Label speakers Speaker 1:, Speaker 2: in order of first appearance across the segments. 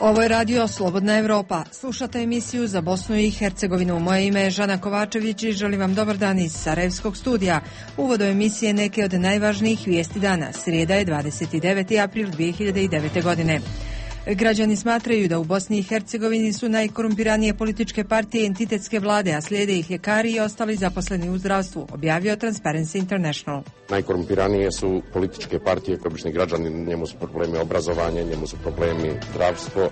Speaker 1: Ovo je radio Slobodna Evropa. Slušate emisiju za Bosnu i Hercegovinu. Moje ime je Žana Kovačević i želim vam dobar dan iz Sarajevskog studija. Uvod do emisije neke od najvažnijih vijesti dana. Srijeda je 29. april 2009. godine. Građani smatraju da u Bosni i Hercegovini su najkorumpiranije političke partije i entitetske vlade, a slijede ih ljekari i ostali zaposleni u zdravstvu, objavio Transparency International.
Speaker 2: Najkorumpiranije su političke partije, obični građani, njemu su problemi obrazovanja, njemu su problemi zdravstvo.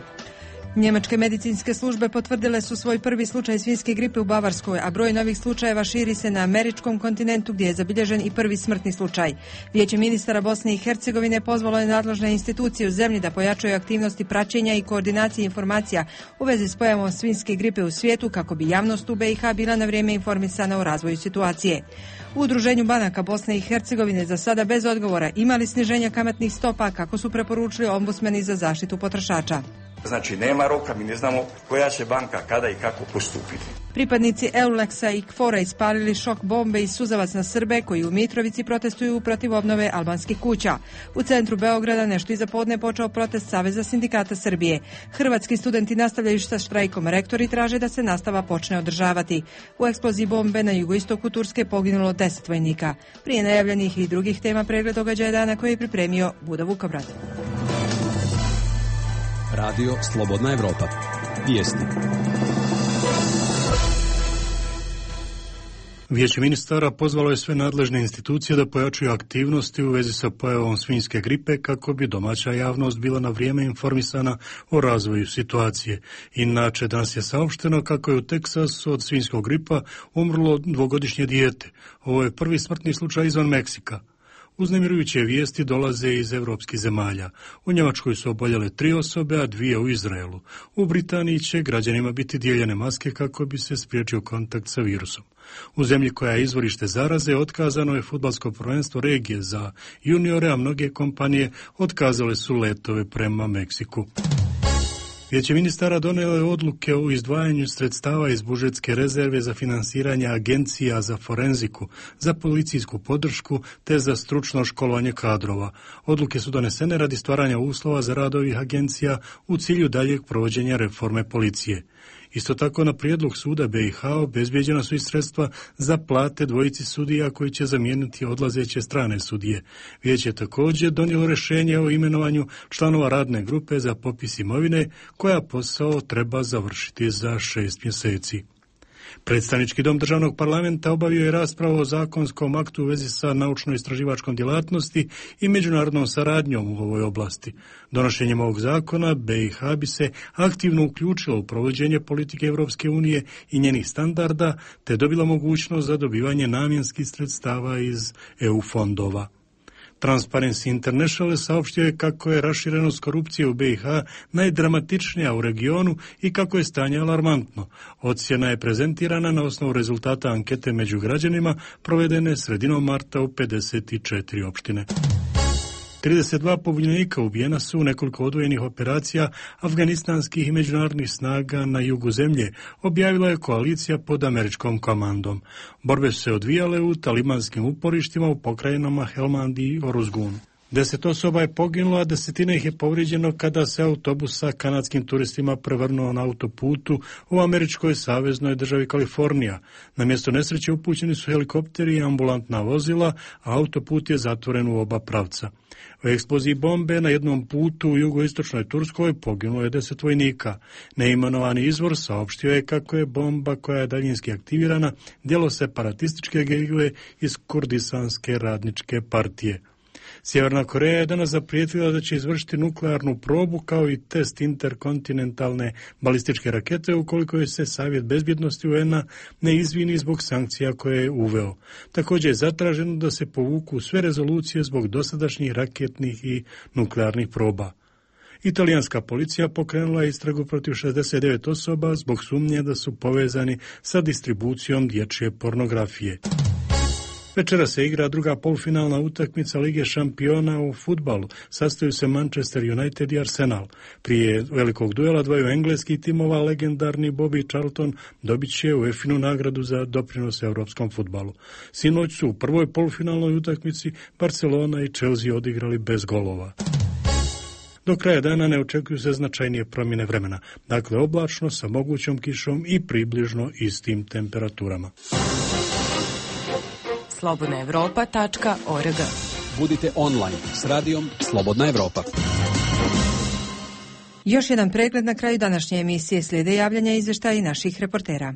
Speaker 1: Njemačke medicinske službe potvrdile su svoj prvi slučaj svinjske gripe u Bavarskoj, a broj novih slučajeva širi se na američkom kontinentu gdje je zabilježen i prvi smrtni slučaj. Vijeće ministara Bosne i Hercegovine pozvalo je nadležne institucije u zemlji da pojačaju aktivnosti praćenja i koordinacije informacija u vezi s pojavom svinjske gripe u svijetu kako bi javnost u BiH bila na vrijeme informisana o razvoju situacije. U Udruženju banaka Bosne i Hercegovine za sada bez odgovora imali sniženja kamatnih stopa kako su preporučili ombudsmeni za zaštitu potrošača.
Speaker 3: Znači nema roka, mi ne znamo koja će banka kada i kako postupiti.
Speaker 1: Pripadnici Euleksa i KFOR-a ispalili šok bombe i suzavac na Srbe koji u Mitrovici protestuju protiv obnove albanskih kuća. U centru Beograda nešto iza podne počeo protest Saveza sindikata Srbije. Hrvatski studenti nastavljaju sa štrajkom, rektori traže da se nastava počne održavati. U eksploziji bombe na jugoistoku Turske poginulo 10 vojnika. Prije najavljenih i drugih tema pregled događaja dana koji je pripremio Buda Vukobrad.
Speaker 4: Radio Slobodna Evropa. Vijesti.
Speaker 5: Vijeće ministara pozvalo je sve nadležne institucije da pojačaju aktivnosti u vezi sa pojavom svinjske gripe kako bi domaća javnost bila na vrijeme informisana o razvoju situacije. Inače, danas je saopšteno kako je u Teksasu od svinjskog gripa umrlo 2-godišnje dijete. Ovo je prvi smrtni slučaj izvan Meksika. Uznemirujuće vijesti dolaze iz evropskih zemalja. U Njemačkoj su oboljele 3 osobe, a 2 u Izraelu. U Britaniji će građanima biti dijeljene maske kako bi se spriječio kontakt sa virusom. U zemlji koja je izvorište zaraze otkazano je fudbalsko prvenstvo regije za juniore, a mnoge kompanije otkazale su letove prema Meksiku. Vijeće ministara donijelo je odluke o izdvajanju sredstava iz budžetske rezerve za finansiranje agencija za forenziku, za policijsku podršku te za stručno školovanje kadrova. Odluke su donesene radi stvaranja uslova za rad ovih agencija u cilju daljeg provođenja reforme policije. Isto tako na prijedlog suda BiH obezbijeđena su i sredstva za plate 2 sudija koji će zamijeniti odlazeće strane sudije. Vijeće je također donijelo rješenje o imenovanju članova radne grupe za popis imovine koja posao treba završiti za 6 mjeseci. Predstavnički dom državnog parlamenta obavio je raspravu o zakonskom aktu u vezi sa naučno-istraživačkom djelatnosti i međunarodnom saradnjom u ovoj oblasti. Donošenjem ovog zakona BiH bi se aktivno uključilo u provođenje politike Europske unije i njenih standarda, te dobila mogućnost za dobivanje namjenskih sredstava iz EU fondova. Transparency International saopštio je kako je raširenost korupcije u BiH najdramatičnija u regionu i kako je stanje alarmantno. Ocjena je prezentirana na osnovu rezultata ankete među građanima provedene sredinom marta u 54 opštine. 32 pobunjenika ubijena su u nekoliko odvojenih operacija afganistanskih i međunarodnih snaga na jugu zemlje, objavila je koalicija pod američkom komandom. Borbe su se odvijale u talibanskim uporištima u pokrajinama Helmand i Oruzgun. 10 osoba je poginulo, a 10 ih je povrijeđeno kada se autobus sa kanadskim turistima prevrnuo na autoputu u američkoj saveznoj državi Kalifornija. Na mjesto nesreće upućeni su helikopteri i ambulantna vozila, a autoput je zatvoren u oba pravca. U eksploziji bombe na jednom putu u jugoistočnoj Turskoj poginulo je 10 vojnika. Neimenovani izvor saopštio je kako je bomba koja je daljinski aktivirana djelo separatističke gerile iz Kurdistanske radničke partije. Sjeverna Koreja je danas zaprijetila da će izvršiti nuklearnu probu kao i test interkontinentalne balističke rakete ukoliko je se Savjet bezbjednosti UN-a ne izvini zbog sankcija koje je uveo. Također je zatraženo da se povuku sve rezolucije zbog dosadašnjih raketnih i nuklearnih proba. Italijanska policija pokrenula je istragu protiv 69 osoba zbog sumnje da su povezani sa distribucijom dječje pornografije. Večera se igra druga polufinalna utakmica Lige šampiona u fudbalu. Sastaju se Manchester United i Arsenal. Prije velikog duela dvaju engleskih timova legendarni Bobby Charlton dobit će UEFA-inu nagradu za doprinos europskom fudbalu. Sinoć su u prvoj polufinalnoj utakmici Barcelona i Chelsea odigrali bez golova. Do kraja dana ne očekuju se značajnije promjene vremena. Dakle, oblačno sa mogućom kišom i približno istim temperaturama.
Speaker 6: slobodnaevropa.org.
Speaker 4: Budite online s radijom Slobodna Evropa.
Speaker 1: Još jedan pregled na kraju današnje emisije, slijede javljanja i izvještaji naših reportera.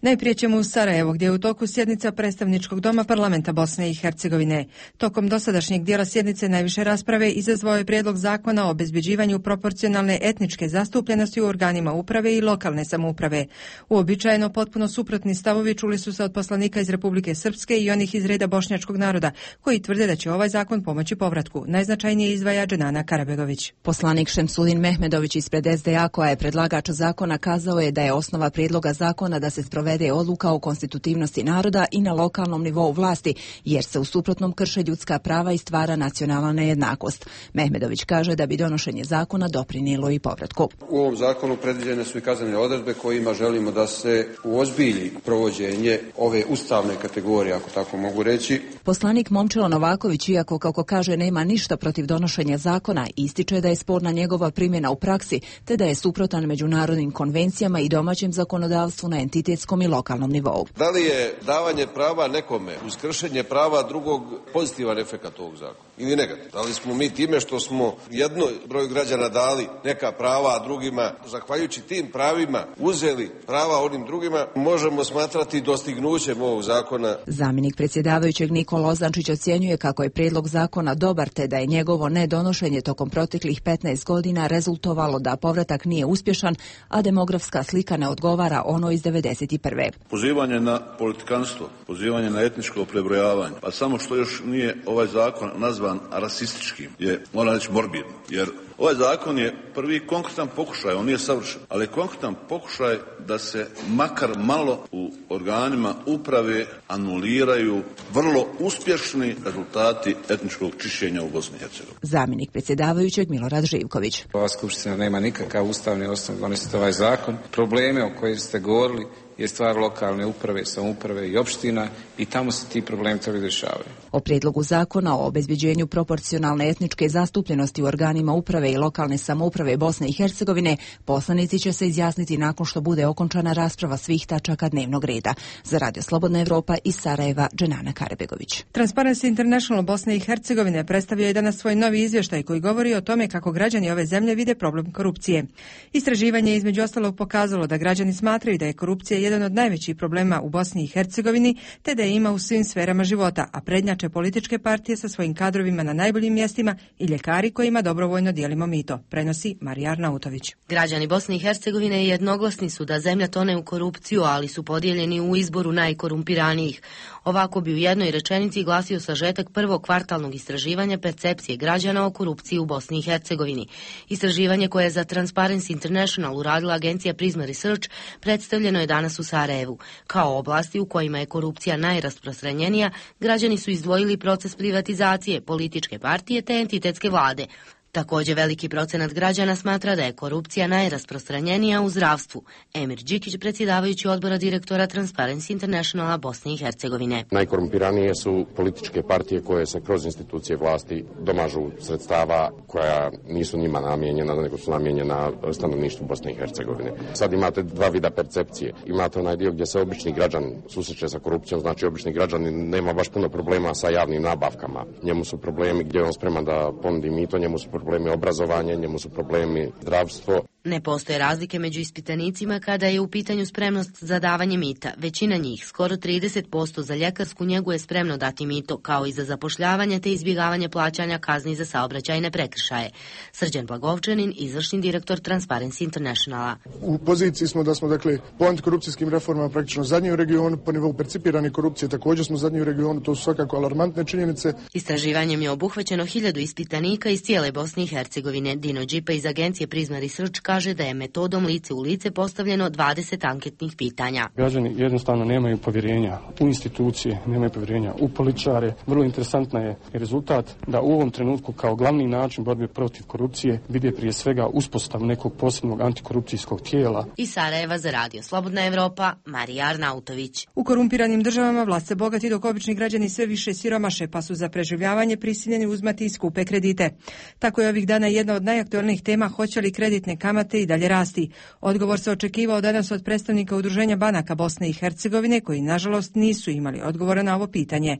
Speaker 1: Najprije ćemo u Sarajevo, gdje je u toku sjednica predstavničkog doma parlamenta Bosne i Hercegovine. Tokom dosadašnjeg dijela sjednice najviše rasprave izazvao je prijedlog zakona o obezbeđivanju proporcionalne etničke zastupljenosti u organima uprave i lokalne samouprave. Uobičajeno potpuno suprotni stavovi čuli su se od poslanika iz Republike Srpske i onih iz reda bošnjačkog naroda, koji tvrde da će ovaj zakon pomoći povratku. Najznačajnije izdvaja Dženana Karabegović.
Speaker 6: Poslanik Šemsudin Mehmedović ispred SDA, koja je predlagač zakona, kazao je da je osnova prijedloga zakona da se sprovede odluka o konstitutivnosti naroda i na lokalnom nivou vlasti, jer se u suprotnom krše ljudska prava i stvara nacionalna nejednakost. Mehmedović kaže da bi donošenje zakona doprinijelo i povratku.
Speaker 7: U ovom zakonu predviđene su i kaznene odredbe kojima želimo da se uozbilji provođenje ove ustavne kategorije, ako tako mogu reći.
Speaker 6: Poslanik Momčilo Novaković, iako kako kaže nema ništa protiv donošenja zakona, ističe da je sporna njegova primjena u praksi, te da je suprotan međunarodnim konvencijama i domaćem zakonodavstvu na entitetskom i lokalnom nivou.
Speaker 7: Da li je davanje prava nekome uz kršenje prava drugog pozitivan efekat ovog zakona ili negativ? Da li smo mi time što smo jednom broju građana dali neka prava, a drugima, zahvaljujući tim pravima, uzeli prava onim drugima, možemo smatrati dostignućem ovog zakona?
Speaker 6: Zamjenik predsjedavajućeg Nikola Ozančić ocjenjuje kako je prijedlog zakona dobar, te da je njegovo nedonošenje tokom proteklih 15 godina rezultovalo da povratak nije uspješan, a demografska slika ne odgovara ono iz 1991.
Speaker 8: Pozivanje na politikanstvo, pozivanje na etničko prebrojavanje, pa samo što još nije ovaj zakon nazvan rasističkim, je, moram reći, morbidno, jer ovaj zakon je prvi konkretan pokušaj, on nije savršen, ali konkretan pokušaj da se makar malo u organima uprave anuliraju vrlo uspješni rezultati etničkog čišćenja u Bosni i Hercegovini.
Speaker 6: Zamjenik predsjedavajućeg Milorad Živković.
Speaker 9: Ova skupština nema nikakav ustavni osnov donositi ovaj zakon. Probleme o kojima ste govorili je stvar lokalne uprave, samouprave i opština i tamo se ti problemi trebaju rješavaju.
Speaker 6: O prijedlogu zakona o obezbeđenju proporcionalne etničke zastupljenosti u organima uprave i lokalne samouprave Bosne i Hercegovine poslanici će se izjasniti nakon što bude okončana rasprava svih tačaka dnevnog reda. Za Radio Slobodna Evropa iz Sarajeva, Dženana Karabegović.
Speaker 1: Transparency International Bosne i Hercegovine predstavio je danas svoj novi izvještaj koji govori o tome kako građani ove zemlje vide problem korupcije. Istraživanje je između ostalog pokazalo da građani smatraju da je korupcija jedan od najvećih problema u Bosni i Hercegovini, te da je ima u svim sferama života, a prednjače političke partije sa svojim kadrovima na najboljim mjestima i ljekari kojima dobrovoljno dijelimo mito, prenosi Marija Arnautović.
Speaker 10: Građani Bosne i Hercegovine jednoglasni su da zemlja tone u korupciju, ali su podijeljeni u izboru najkorumpiranijih. Ovako bi u jednoj rečenici glasio sažetak prvog kvartalnog istraživanja percepcije građana o korupciji u Bosni i Hercegovini. Istraživanje koje je za Transparency International uradila agencija Prisma Research predstavljeno je danas u Sarajevu. Kao oblasti u kojima je korupcija najrasprostranjenija, građani su izdvojili proces privatizacije, političke partije te entitetske vlade. Također veliki procenat građana smatra da je korupcija najrasprostranjenija u zdravstvu. Emir Đikić, predsjedavajući odbora direktora Transparency Internationala Bosne i Hercegovine.
Speaker 2: Najkorumpiranije su političke partije koje se kroz institucije vlasti domažu sredstava koja nisu njima namijenjena, nego su namijenjena stanovništvu Bosne i Hercegovine. Sad imate dva vida percepcije. Imate onaj dio gdje se obični građan susreće sa korupcijom, znači obični građanin nema baš puno problema sa javnim nabavkama. Njemu su problemi gdje on spreman da ponudi mito, njemu su problemi obrazovanja, njemu su problemi zdravstvo.
Speaker 10: Ne postoje razlike među ispitanicima kada je u pitanju spremnost za davanje mita. Većina njih, skoro 30% za ljekarsku njegu, je spremno dati mito, kao i za zapošljavanje te izbjegavanje plaćanja kazni za saobraćajne prekršaje. Srđan Blagovčanin, izvršni direktor Transparency Internationala.
Speaker 11: U poziciji smo da smo, dakle, po antikorupcijskim reformama praktično zadnji u regionu, po nivou percipirane korupcije također smo zadnji u regionu, to su svakako alarmantne činjenice.
Speaker 10: Istraživanjem je obuhvaćeno 1000 ispitanika iz cijele Bosne i Hercegovine. Dino Đipa iz agencije Prisma Research kaže kaže da je metodom lice u lice postavljeno 20 anketnih pitanja.
Speaker 12: Građani jednostavno nemaju povjerenja u institucije, nemaju povjerenja u političare. Vrlo interesantna je rezultat da u ovom trenutku kao glavni način borbe protiv korupcije vide prije svega uspostavu nekog posebnog antikorupcijskog tijela.
Speaker 10: Iz Sarajeva za Radio Slobodna Evropa, Marija Arnautović.
Speaker 1: U korumpiranim državama vlast se bogati dok obični građani sve više siromaše, pa su za preživljavanje prisiljeni uzmati i skupe kredite. Tako je ovih dana jedna od najaktualnijih tema hoće li kreditne kamate i dalje rasti. Odgovor se očekivao danas od predstavnika Udruženja banaka Bosne i Hercegovine, koji nažalost nisu imali odgovora na ovo pitanje.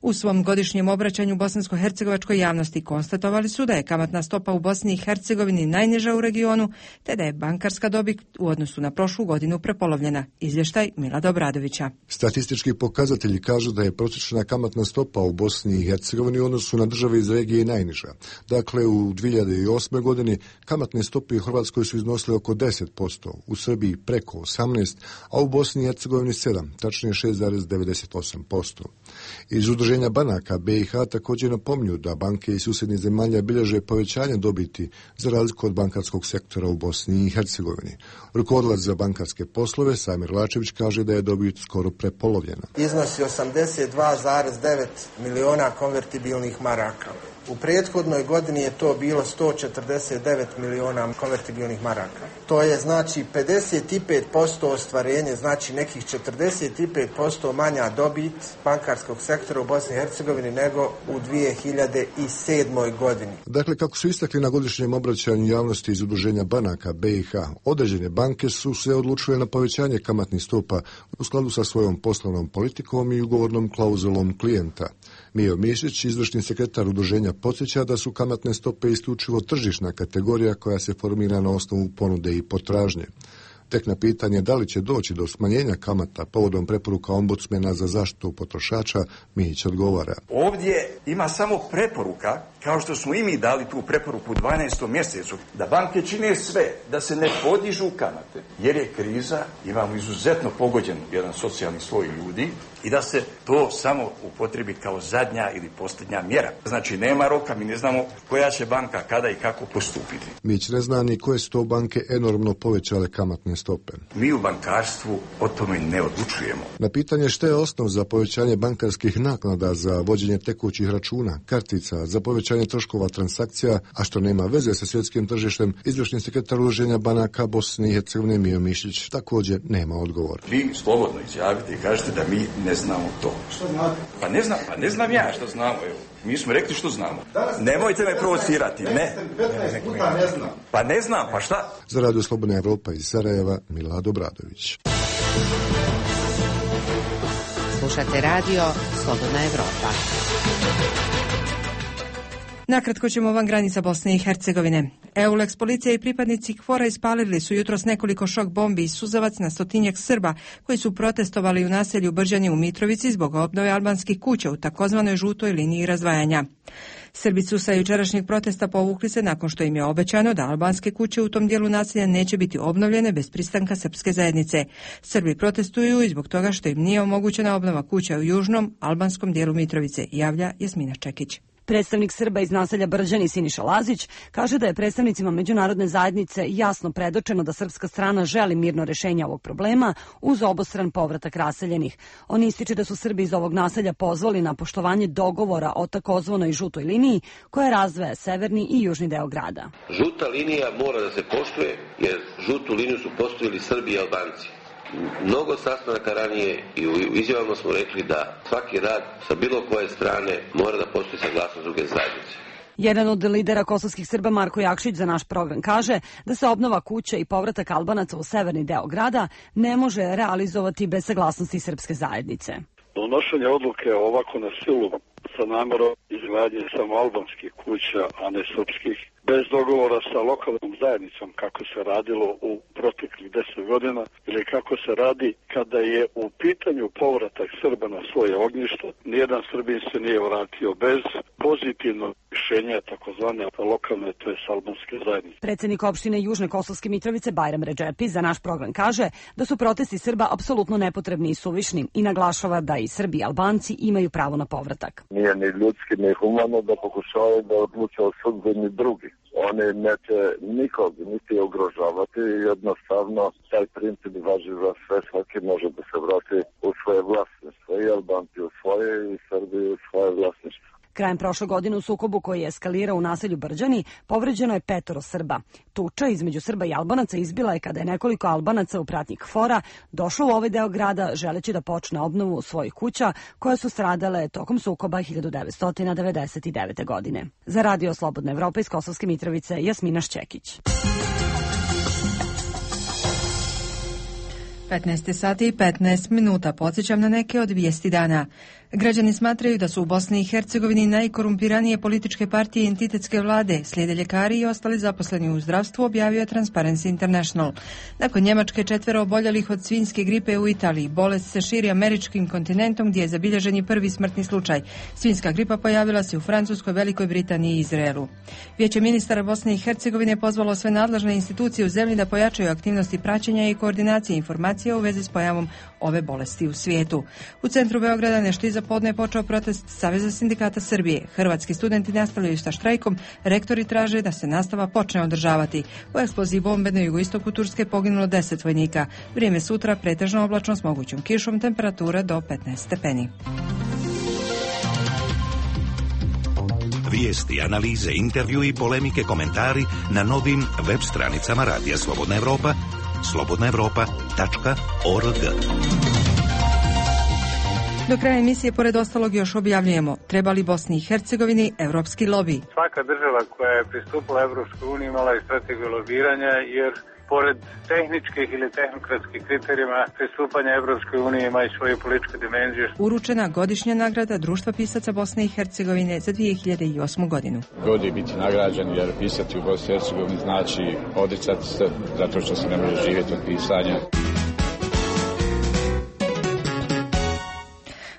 Speaker 1: U svom godišnjem obraćanju bosansko-hercegovačkoj javnosti konstatovali su da je kamatna stopa u Bosni i Hercegovini najniža u regionu, te da je bankarska dobit u odnosu na prošlu godinu prepolovljena. Izvještaj Milada Obradovića.
Speaker 13: Statistički pokazatelji kažu da je prosječna kamatna stopa u Bosni i Hercegovini u odnosu na države iz regije najniža. Dakle, u 2008. godini kamatne stope u Hrvatskoj su iznosile oko 10%, u Srbiji preko 18%, a u Bosni i Hercegovini 7%, tačnije 6,98%. Iz Udruženja banaka BiH također napominju da banke iz susjednih zemalja bilježe povećanje dobiti za razliku od bankarskog sektora u Bosni i Hercegovini. Rukovodilac za bankarske poslove Samir Lačević kaže da je dobit skoro prepolovljena.
Speaker 14: Iznosi 82,9 miliona konvertibilnih maraka. U prethodnoj godini je to bilo 149 miliona konvertibilnih maraka. To je znači 55% ostvarenje, znači nekih 45% manja dobit bankarskog sektora u Bosni i Hercegovini nego u 2007. godini.
Speaker 13: Dakle, kako su istakli na godišnjem obraćanju javnosti iz Udruženja banaka BiH, određene banke su se odlučile na povećanje kamatnih stopa u skladu sa svojom poslovnom politikom i ugovornom klauzulom klijenta. Mijo Mišić, izvršni sekretar udruženja, podsjeća da su kamatne stope isključivo tržišna kategorija koja se formira na osnovu ponude i potražnje. Tek na pitanje da li će doći do smanjenja kamata povodom preporuka ombudsmena za zaštitu potrošača, Mihić odgovara.
Speaker 3: Ovdje ima samo preporuka, kao što smo i mi dali tu preporuku u 12. mjesecu, da banke čine sve da se ne podižu kamate, jer je kriza, imamo izuzetno pogođen jedan socijalni sloj ljudi i da se to samo upotrebi kao zadnja ili posljednja mjera. Znači nema roka, mi ne znamo koja će banka kada i kako postupiti.
Speaker 13: Mihić ne zna ni koje su to banke enormno povećale kamatne stope.
Speaker 3: Mi u bankarstvu o tome ne odlučujemo.
Speaker 13: Na pitanje što je osnov za povećanje bankarskih naknada za vođenje tekućih računa, kartica, za povećanje troškova transakcija, a što nema veze sa svjetskim tržištem, izvršni sekretar Udruženja banaka Bosne i Hercegovine Mijo Mišić također nema odgovor.
Speaker 3: Vi slobodno izjavite i kažete da mi ne znamo to.
Speaker 14: Što znate?
Speaker 3: Pa ne znam ja što znamo, evo. Mi smo rekli što znamo. Nemojte me provocirati, ne. Pa ne znam, pa šta?
Speaker 13: Za Radio Slobodna Evropa iz Sarajeva, Milad Obradović.
Speaker 10: Slušate Radio Slobodna Evropa.
Speaker 1: Nakratko ćemo van granica Bosne i Hercegovine. EULEX policija i pripadnici KFOR-a ispalili su jutros nekoliko šok bombi i suzavac na stotinjak Srba koji su protestovali u naselju Brđani u Mitrovici zbog obnove albanskih kuća u takozvanoj žutoj liniji razdvajanja. Srbi su sa jučerašnjeg protesta povukli se nakon što im je obećano da albanske kuće u tom dijelu naselja neće biti obnovljene bez pristanka srpske zajednice. Srbi protestuju i zbog toga što im nije omogućena obnova kuća u južnom albanskom dijelu Mitrovice, javlja Jasmina Čekić.
Speaker 15: Predstavnik Srba iz naselja Brđani Siniša Lazić kaže da je predstavnicima međunarodne zajednice jasno predočeno da srpska strana želi mirno rješenje ovog problema uz obostran povratak raseljenih. On ističe da su Srbi iz ovog naselja pozvali na poštovanje dogovora o takozvanoj žutoj liniji koja razdvaja severni i južni deo grada.
Speaker 16: Žuta linija mora da se poštuje jer žutu liniju su postavili Srbi i Albanci. Mnogo sastanaka ranije i u izjavama smo rekli da svaki rad sa bilo koje strane mora da postoji saglasnost druge zajednice.
Speaker 15: Jedan od lidera kosovskih Srba, Marko Jakšić, za naš program kaže da se obnova kuća i povratak Albanaca u severni deo grada ne može realizovati bez saglasnosti srpske zajednice.
Speaker 17: Donošenje odluke ovako na silu sa namerom izgradnje samo albanskih kuća, a ne srpskih, bez dogovora sa lokalnom zajednicom kako se radilo u proteklih 10 godina ili kako se radi kada je u pitanju povratak Srba na svoje ognjište, nijedan Srbin se nije vratio bez pozitivnog rješenja takozvane lokalne, to je albanske zajednice.
Speaker 15: Predsjednik opštine Južne Kosovske Mitrovice Bajram Redžepi za naš program kaže da su protesti Srba apsolutno nepotrebni i suvišni i naglašava da i Srbi i Albanci imaju pravo na povratak.
Speaker 17: Nije ni ljudski ni humano da pokušavaju da odluče o sudbini drugih.
Speaker 18: Oni neće nikog niti ugrožavati, jednostavno taj princip važi za sve, svaki može da se vrati u svoje vlasništvo, i Albanci u svoje i Srbi u svoje vlasništvo.
Speaker 15: Krajem prošle godine u sukobu koji je eskalirao u naselju Brđani povređeno je 5 Srba. Tuča između Srba i Albanaca izbila je kada je nekoliko Albanaca u pratnji KFOR-a došlo u ovaj deo grada želeći da počne obnovu svojih kuća koje su stradale tokom sukoba 1999. godine. Za Radio Slobodna Evropa iz Kosovske Mitrovice, Jasmina Šćekić.
Speaker 1: 15 sati i 15 minuta. Podsjećam na neke od vijesti dana. Građani smatraju da su u Bosni i Hercegovini najkorumpiranije političke partije i entitetske vlade, slijede ljekari i ostali zaposleni u zdravstvu, objavio je Transparency International. Nakon Njemačke 4 oboljelih od svinjske gripe u Italiji, bolest se širi američkim kontinentom gdje je zabilježen i prvi smrtni slučaj. Svinjska gripa pojavila se u Francuskoj, Velikoj Britaniji i Izraelu. Vijeće ministara Bosne i Hercegovine pozvalo sve nadležne institucije u zemlji da pojačaju aktivnosti praćenja i koordinacije informacija u vezi s pojavom ove bolesti u svijetu. U centru Beograda nešto iza podne je počeo protest Saveza sindikata Srbije. Hrvatski studenti nastavljaju sa štrajkom, rektori traže da se nastava počne održavati. U eksploziji bombe na jugoistoku Turske poginulo 10 vojnika. Vrijeme sutra pretežno oblačno s mogućom kišom, temperatura do 15 stepeni.
Speaker 19: Vijesti, analize, intervju i polemike, komentari na novim web stranicama Radija Slobodna Evropa, slobodnaevropa.org.
Speaker 1: Do kraja emisije, pored ostalog, još objavljujemo: treba li Bosni i Hercegovini evropski lobi?
Speaker 20: Svaka država koja je pristupila Evropskoj uniji imala i strategiju lobiranja, jer pored tehničkih ili tehnokratskih kriterijima pristupanja Evropskoj uniji ima i svoju političku dimenziju.
Speaker 1: Uručena godišnja nagrada Društva pisaca Bosne i Hercegovine za 2008. godinu.
Speaker 21: God je biti nagrađen, jer pisati u Bosni i Hercegovini znači odricati se, zato što se ne može živjeti od pisanja.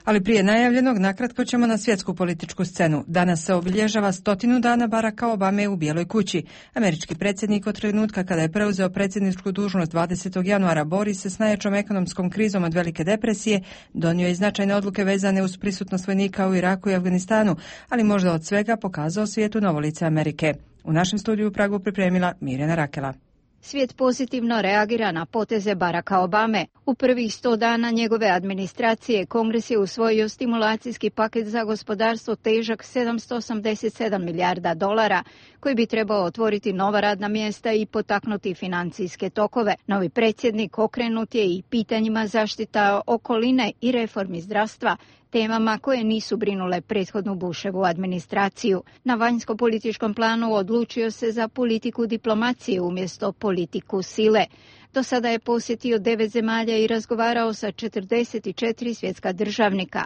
Speaker 1: Ali prije najavljenog, nakratko ćemo na svjetsku političku scenu. Danas se obilježava 100 dana Baracka Obame u Bijeloj kući. Američki predsjednik od trenutka kada je preuzeo predsjedničku dužnost 20. januara bori se s najjačom ekonomskom krizom od Velike depresije, donio je značajne odluke vezane uz prisutnost vojnika u Iraku i Afganistanu, ali možda od svega pokazao svijetu novo lice Amerike. U našem studiju u Pragu pripremila Mirjana Rakela.
Speaker 22: Svijet pozitivno reagira na poteze Baracka Obame. U prvih 100 dana njegove administracije Kongres je usvojio stimulacijski paket za gospodarstvo težak $787 milijarda, koji bi trebao otvoriti nova radna mjesta i potaknuti financijske tokove. Novi predsjednik okrenut je i pitanjima zaštita okoline i reformi zdravstva, temama koje nisu brinule prethodnu Bushevu administraciju. Na vanjsko-političkom planu odlučio se za politiku diplomacije umjesto politiku sile. Do sada je posjetio 9 zemalja i razgovarao sa 44 svjetska državnika.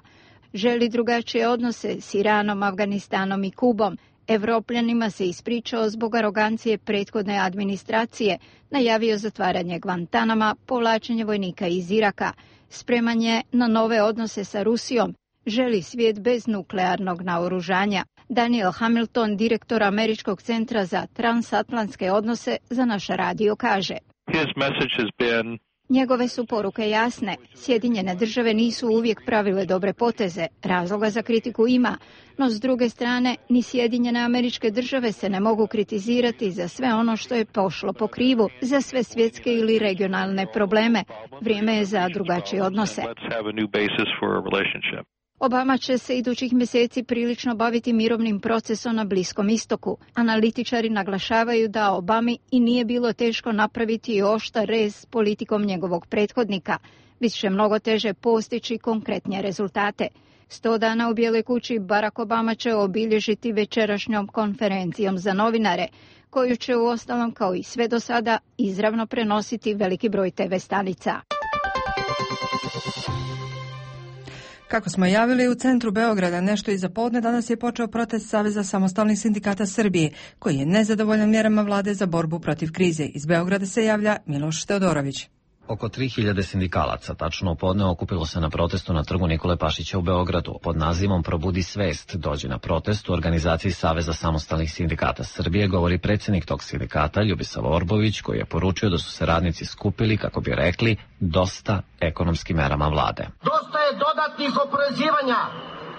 Speaker 22: Želi drugačije odnose s Iranom, Afganistanom i Kubom. Evropljanima se ispričao zbog arogancije prethodne administracije, najavio zatvaranje Guantanama, povlačenje vojnika iz Iraka, spremanje na nove odnose sa Rusijom, želi svijet bez nuklearnog naoružanja. Daniel Hamilton, direktor Američkog centra za transatlantske odnose, za naš radio kaže: njegove su poruke jasne. Sjedinjene države nisu uvijek pravile dobre poteze. Razloga za kritiku ima, no s druge strane ni Sjedinjene Američke Države se ne mogu kritizirati za sve ono što je pošlo po krivu, za sve svjetske ili regionalne probleme. Vrijeme je za drugačije odnose. Obama će se idućih mjeseci prilično baviti mirovnim procesom na Bliskom istoku. Analitičari naglašavaju da Obami i nije bilo teško napraviti oštar rez s politikom njegovog prethodnika. Bit će mnogo teže postići konkretnije rezultate. 100 dana u Bijeloj kući Barack Obama će obilježiti večerašnjom konferencijom za novinare, koju će uostalom kao i sve do sada izravno prenositi veliki broj TV stanica.
Speaker 1: Kako smo javili, u centru Beograda nešto iza podne danas je počeo protest Saveza samostalnih sindikata Srbije, koji je nezadovoljan mjerama vlade za borbu protiv krize. Iz Beograda se javlja Miloš Teodorović.
Speaker 23: Oko 3000 sindikalaca tačno u podne okupilo se na protestu na trgu Nikole Pašića u Beogradu. Pod nazivom Probudi svest dođi na protest u organizaciji Saveza samostalnih sindikata Srbije, govori predsjednik tog sindikata Ljubisav Orbović, koji je poručio da su se radnici skupili, kako bi rekli, dosta ekonomskim merama vlade.
Speaker 24: Dosta je dodatnih oporezivanja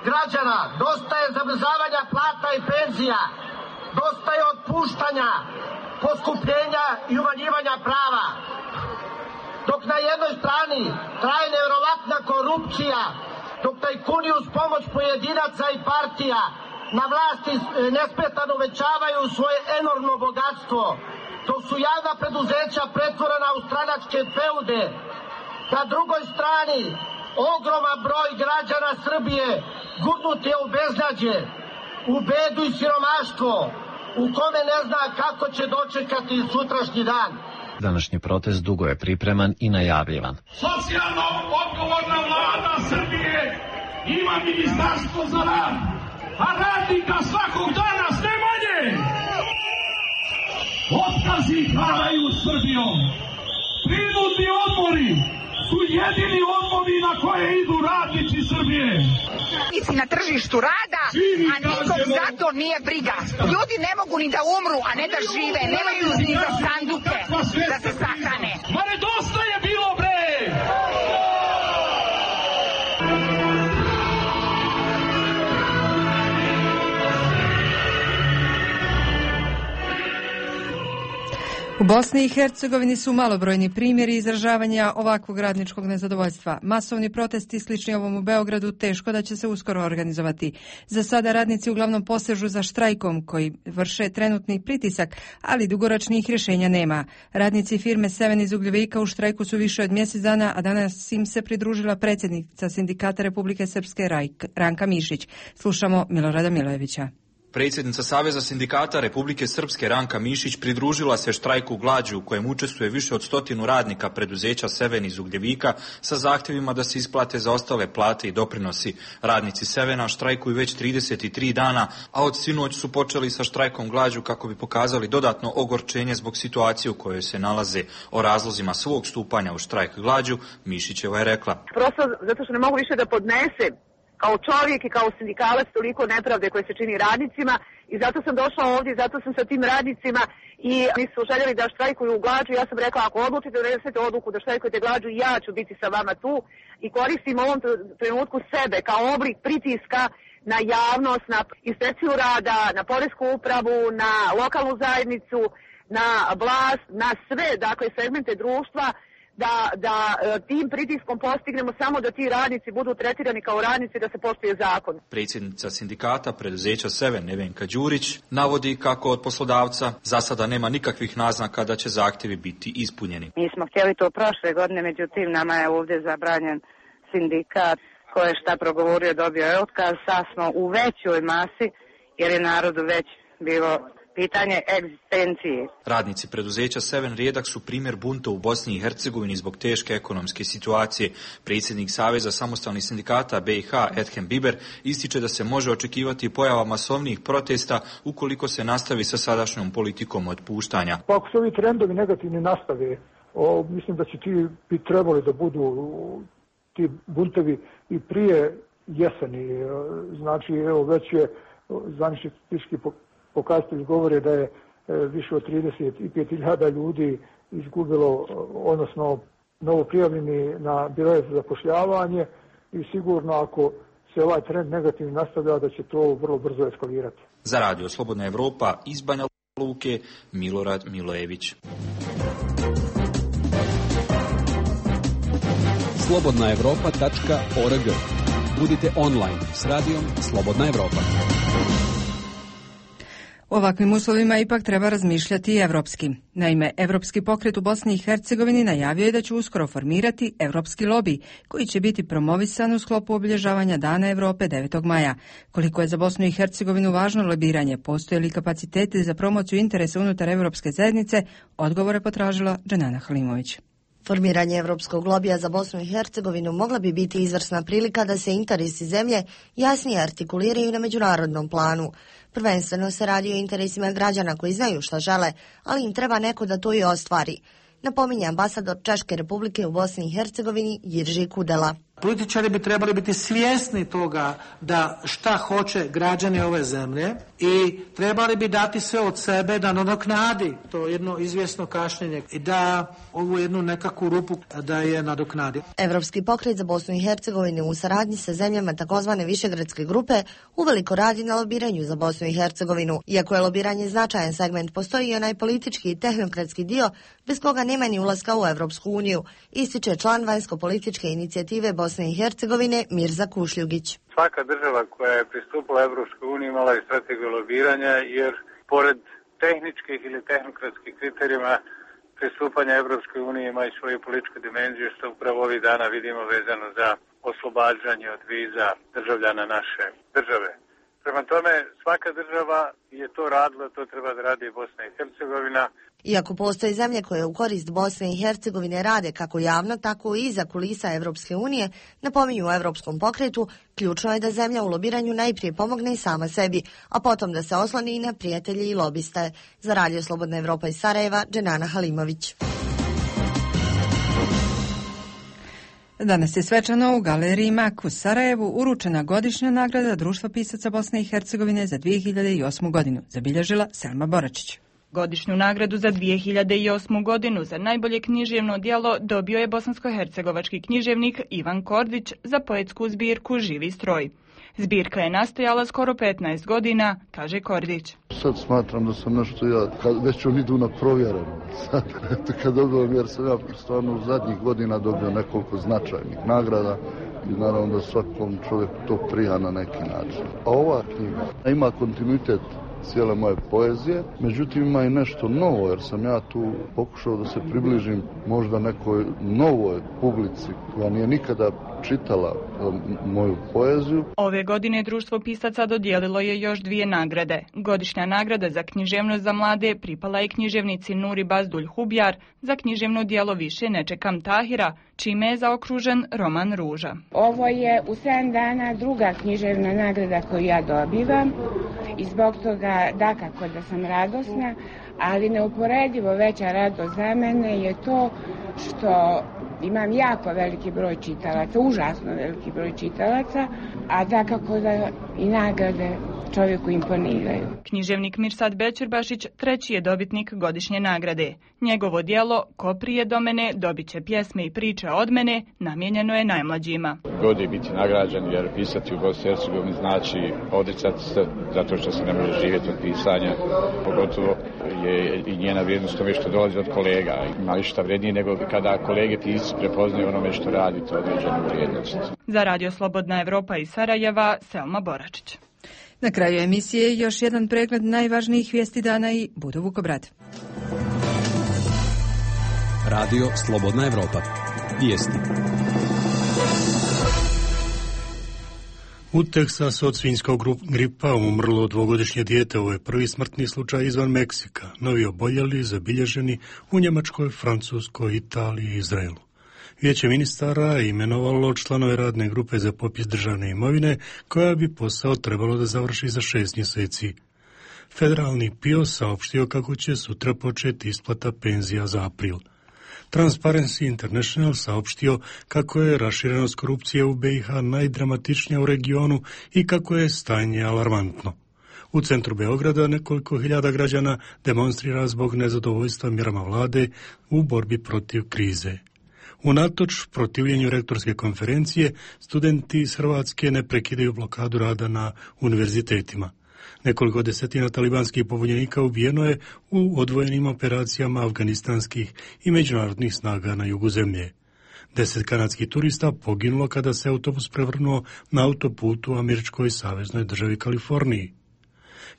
Speaker 24: građana, dosta je zamrzavanja plata i penzija,
Speaker 4: Dosta je otpuštanja, poskupljenja i umanjivanja prava. Dok na jednoj strani traje nevjerovatna korupcija, dok tajkuni uz pomoć pojedinaca i partija na vlasti nesmetano uvećavaju svoje enormno bogatstvo, dok su javna preduzeća pretvorena u stranačke feude, na drugoj strani ogroman broj građana Srbije gurnut je u beznađe, u bedu i siromaštvo, u kome ne zna kako će dočekati sutrašnji dan.
Speaker 23: Današnji protest dugo je pripreman i najavljivan.
Speaker 5: Socijalno odgovorna vlada Srbije ima ministarstvo za rad, a radnika svakog dana sve manje. Otkazi haraju Srbijom. Prinudni odmori su jedini odmori na koje idu radnici Srbije.
Speaker 7: Na tržištu rada, a nikog zato nije briga. Ljudi ne mogu ni da umru, a ne da žive. Nemaju ni za sanduke da se sahrane.
Speaker 5: Ma ne dosta je bilo, bre!
Speaker 1: U Bosni i Hercegovini su malobrojni primjeri izražavanja ovakvog radničkog nezadovoljstva. Masovni protesti slični ovom u Beogradu teško da će se uskoro organizovati. Za sada radnici uglavnom posežu za štrajkom koji vrše trenutni pritisak, ali dugoročnih rješenja nema. Radnici firme Seven iz Ugljevika u štrajku su više od mjesec dana, a danas im se pridružila predsjednica Sindikata Republike Srpske Ranka Mišić. Slušamo Milorada Milojevića.
Speaker 24: Predsjednica Saveza sindikata Republike Srpske Ranka Mišić pridružila se štrajku glađu u kojem učestvuje više od 100 radnika preduzeća Seven iz Ugljevika sa zahtjevima da se isplate zaostale plate i doprinosi. Radnici Sevena štrajkuju već 33 dana, a od sinoć su počeli sa štrajkom glađu kako bi pokazali dodatno ogorčenje zbog situacije u kojoj se nalaze. O razlozima svog stupanja u štrajk glađu Mišićeva je rekla:
Speaker 25: Prosto zato što ne mogu više da podnesem kao čovjek i kao sindikalac toliko nepravde koje se čini radnicima i zato sam došla ovdje, zato sam sa tim radnicima i oni su željeli da štrajkuju glađu. Ja sam rekla, ako odlučite da donesete odluku da štrajkujete glađu, ja ću biti sa vama tu i koristim ovom trenutku sebe kao oblik pritiska na javnost, na inspekciju rada, na poresku upravu, na lokalnu zajednicu, na vlast, na sve, dakle, segmente društva, da tim pritiskom postignemo samo da ti radnici budu tretirani kao radnici, da se poštuje zakon.
Speaker 24: Predsjednica sindikata preduzeća Seven Nevenka Đurić navodi kako od poslodavca za sada nema nikakvih naznaka da će zahtjevi biti ispunjeni.
Speaker 25: Mi smo htjeli to prošle godine, međutim nama je ovdje zabranjen sindikat koji je šta progovorio, dobio je otkaz. Sad smo u većoj masi jer je narodu već bilo pitanje egzistencije.
Speaker 24: Radnici preduzeća Seven rijedak su primjer bunta u Bosni i Hercegovini zbog teške ekonomske situacije. Predsjednik Saveza samostalnih sindikata BiH Edhem Biber ističe da se može očekivati pojava masovnijih protesta ukoliko se nastavi sa sadašnjom politikom otpuštanja.
Speaker 26: Pa ako se ovi trendovi negativni nastave, mislim da će ti bi trebali da budu ti buntevi i prije jeseni. Znači, evo, već je zvanični statistički pokazatelji govore da je više od 35.000 ljudi izgubilo, odnosno novo prijavljeni na biroje za zapošljavanje i sigurno ako se ovaj trend negativno nastavlja da će to vrlo brzo eskalirati.
Speaker 24: Za Radio Slobodna Evropa iz Banja Luke, Milorad Milojević.
Speaker 27: slobodnaevropa.org. Budite online s radijom Slobodna Evropa.
Speaker 1: U ovakvim uslovima ipak treba razmišljati i evropski. Naime, Evropski pokret u Bosni i Hercegovini najavio je da će uskoro formirati Evropski lobi, koji će biti promovisan u sklopu obilježavanja Dana Evrope 9. maja. Koliko je za Bosnu i Hercegovinu važno lobiranje, postoje li kapaciteti za promociju interesa unutar Evropske zajednice, odgovore potražila Dženana Halimović.
Speaker 28: Formiranje Evropskog lobija za Bosnu i Hercegovinu mogla bi biti izvrsna prilika da se interesi zemlje jasnije artikuliraju na međunarodnom planu. Prvenstveno se radi o interesima građana koji znaju šta žele, ali im treba neko da to i ostvari, napominje ambasador Češke Republike u Bosni i Hercegovini Jirži Kudela.
Speaker 2: Političari bi trebali biti svjesni toga da šta hoće građani ove zemlje i trebali bi dati sve od sebe da nadoknadi to jedno izvjesno kašnjenje i da ovu jednu nekakvu rupu da je nadoknadi.
Speaker 28: Evropski pokret za Bosnu i Hercegovinu u saradnji sa zemljama takozvane Višegradske grupe uveliko radi na lobiranju za Bosnu i Hercegovinu. Iako je lobiranje značajan segment, postoji i onaj politički i tehnokratski dio bez koga nema ni ulaska u Evropsku uniju, ističe član vanjsko-političke inicijative Bosne i Hercegovine Mirza Kušljugić.
Speaker 20: Svaka država koja je pristupila Evropskoj uniji imala i strategiju lobiranja, jer pored tehničkih ili tehnokratskih kriterijima pristupanja Evropskoj uniji ima i svoju političku dimenziju, što upravo ovih dana vidimo vezano za oslobađanje od viza državljana naše države. Prema tome, svaka država je to radila, to treba da radi i Bosna i Hercegovina.
Speaker 28: Iako postoje zemlje koje u korist Bosne i Hercegovine rade kako javno, tako i iza kulisa Evropske unije, napominju u Evropskom pokretu, ključno je da zemlja u lobiranju najprije pomogne i sama sebi, a potom da se osloni i na prijatelje i lobiste. Za Radio Slobodna Evropa iz Sarajeva, Dženana Halimović.
Speaker 1: Danas je svečano u Galeriji Mak u Sarajevu uručena godišnja nagrada Društva pisaca Bosne i Hercegovine za 2008. godinu, zabilježila Selma Boračić.
Speaker 3: Godišnju nagradu za 2008. godinu za najbolje književno djelo dobio je bosansko-hercegovački književnik Ivan Kordić za poetsku zbirku Živi stroj. Zbirka je nastajala skoro 15 godina, kaže Kordić.
Speaker 6: Sad smatram da sam nešto već on idu na provjereno. Sad kad dobijem, jer sam ja stvarno u zadnjih godina dobio nekoliko značajnih nagrada i naravno da svakom čovjeku to prija na neki način. A ova knjiga ima kontinuitet cijele moje poezije, međutim ima i nešto novo, jer sam ja tu pokušao da se približim možda nekoj novoj publici koja nije nikada čitala moju poeziju.
Speaker 3: Ove godine Društvo pisaca dodijelilo je još 2 nagrade. Godišnja nagrada za književnost za mlade pripala je književnici Nuri Bazdulj Hubjar za književno djelo Više ne čekam Tahira, čime je zaokružen roman Ruža.
Speaker 8: Ovo je u 7 dana druga književna nagrada koju ja dobivam i zbog toga dakako da sam radosna, ali neuporedivo veća radost za mene je to što imam jako veliki broj čitalaca, užasno veliki broj čitalaca, a dakako da i nagrade čovjeku imponiraju.
Speaker 3: Književnik Mirsad Bećirbašić treći je dobitnik godišnje nagrade. Njegovo djelo Ko prije do mene dobit će pjesme i priče od mene namijenjeno je najmlađima.
Speaker 21: God je biti nagrađen, jer pisati u Bosni i Hercegovini znači odricati se zato što se ne može živjeti od pisanja. Pogotovo je i njena vrijednost tome što dolazi od kolega. Ima ništa vrijednije nego kada kolege pisci prepoznaju onome što radite određenu vrijednost.
Speaker 3: Za Radio Slobodna Evropa iz Sarajeva, Selma Boračić.
Speaker 1: Na kraju emisije još jedan pregled najvažnijih vijesti dana i Budo Vukobrad.
Speaker 27: Radio Slobodna Evropa. Vijesti.
Speaker 9: U Teksasu od svinjskog gripa umrlo 2-godišnje dijete. Ovo je prvi smrtni slučaj izvan Meksika. Novi oboljeli zabilježeni u Njemačkoj, Francuskoj, Italiji i Izraelu. Vijeće ministara imenovalo članove radne grupe za popis državne imovine, koja bi posao trebalo da završi za 6 mjeseci. Federalni PIO saopštio kako će sutra početi isplata penzija za april. Transparency International saopštio kako je raširenost korupcije u BiH najdramatičnija u regionu i kako je stanje alarmantno. U centru Beograda nekoliko hiljada građana demonstrira zbog nezadovoljstva mjerama vlade u borbi protiv krize. Unatoč protivljenju rektorske konferencije, studenti iz Hrvatske ne prekidaju blokadu rada na univerzitetima. Nekoliko desetina talibanskih pobunjenika ubijeno je u odvojenim operacijama afganistanskih i međunarodnih snaga na jugu zemlje. 10 kanadskih turista poginulo kada se autobus prevrnuo na autoputu u američkoj saveznoj državi Kaliforniji.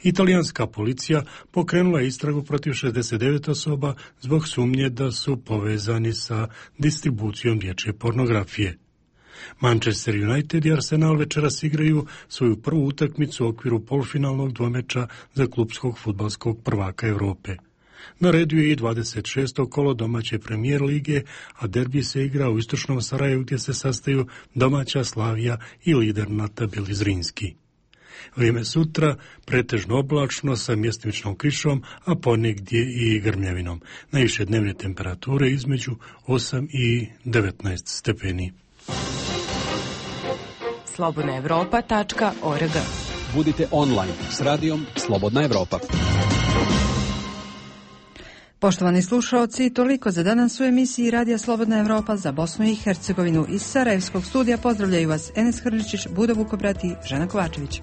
Speaker 9: Italijanska policija pokrenula istragu protiv 69 osoba zbog sumnje da su povezani sa distribucijom dječje pornografije. Manchester United i Arsenal večeras igraju svoju prvu utakmicu u okviru polufinalnog dvomeča za klupskog fudbalskog prvaka Europe. Na redu je i 26. kolo domaće premijer lige, a derbi se igra u istočnom Sarajevu gdje se sastaju domaća Slavija i lider na tabeli Zrinski. Vrijeme sutra pretežno oblačno sa mjestimičnom kišom, a ponegdje i grmljavinom. Najviše dnevne temperature između 8 i 19 stepeni.
Speaker 10: slobodnaevropa.org.
Speaker 27: Budite online s radijom Slobodna Evropa.
Speaker 1: Poštovani slušaoci, toliko za danas u emisiji Radija Slobodna Evropa za Bosnu i Hercegovinu. Iz Sarajevskog studija pozdravljaju vas Enes Hrličić, Budo Vukobrat i Žena Kovačević.